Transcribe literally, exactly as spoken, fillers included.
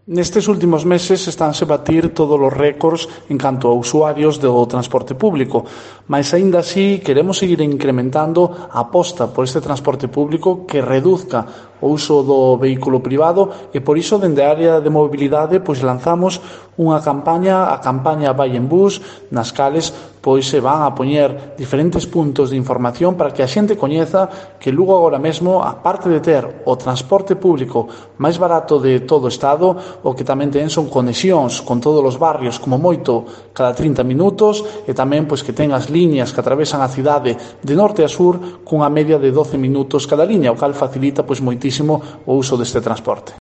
Nestes últimos meses estánse batir todos os récords en canto a usuarios do transporte público, mas aínda así queremos seguir incrementando a aposta por este transporte público que reduzca o uso do vehículo privado e por iso dende a área de mobilidade pois lanzamos unha campaña, a campaña Vai en Bus, nas cales pois se van a poñer diferentes puntos de información para que a xente coñeza que Lugo agora mesmo, a parte de ter o transporte público máis barato de todo o Estado, o que tamén ten son conexións con todos os barrios, como moito cada trinta minutos, e tamén pois que ten as liñas que atravesan a cidade de norte a sur cunha media de doce minutos cada liña, o cal facilita pois moitísimo o uso deste transporte.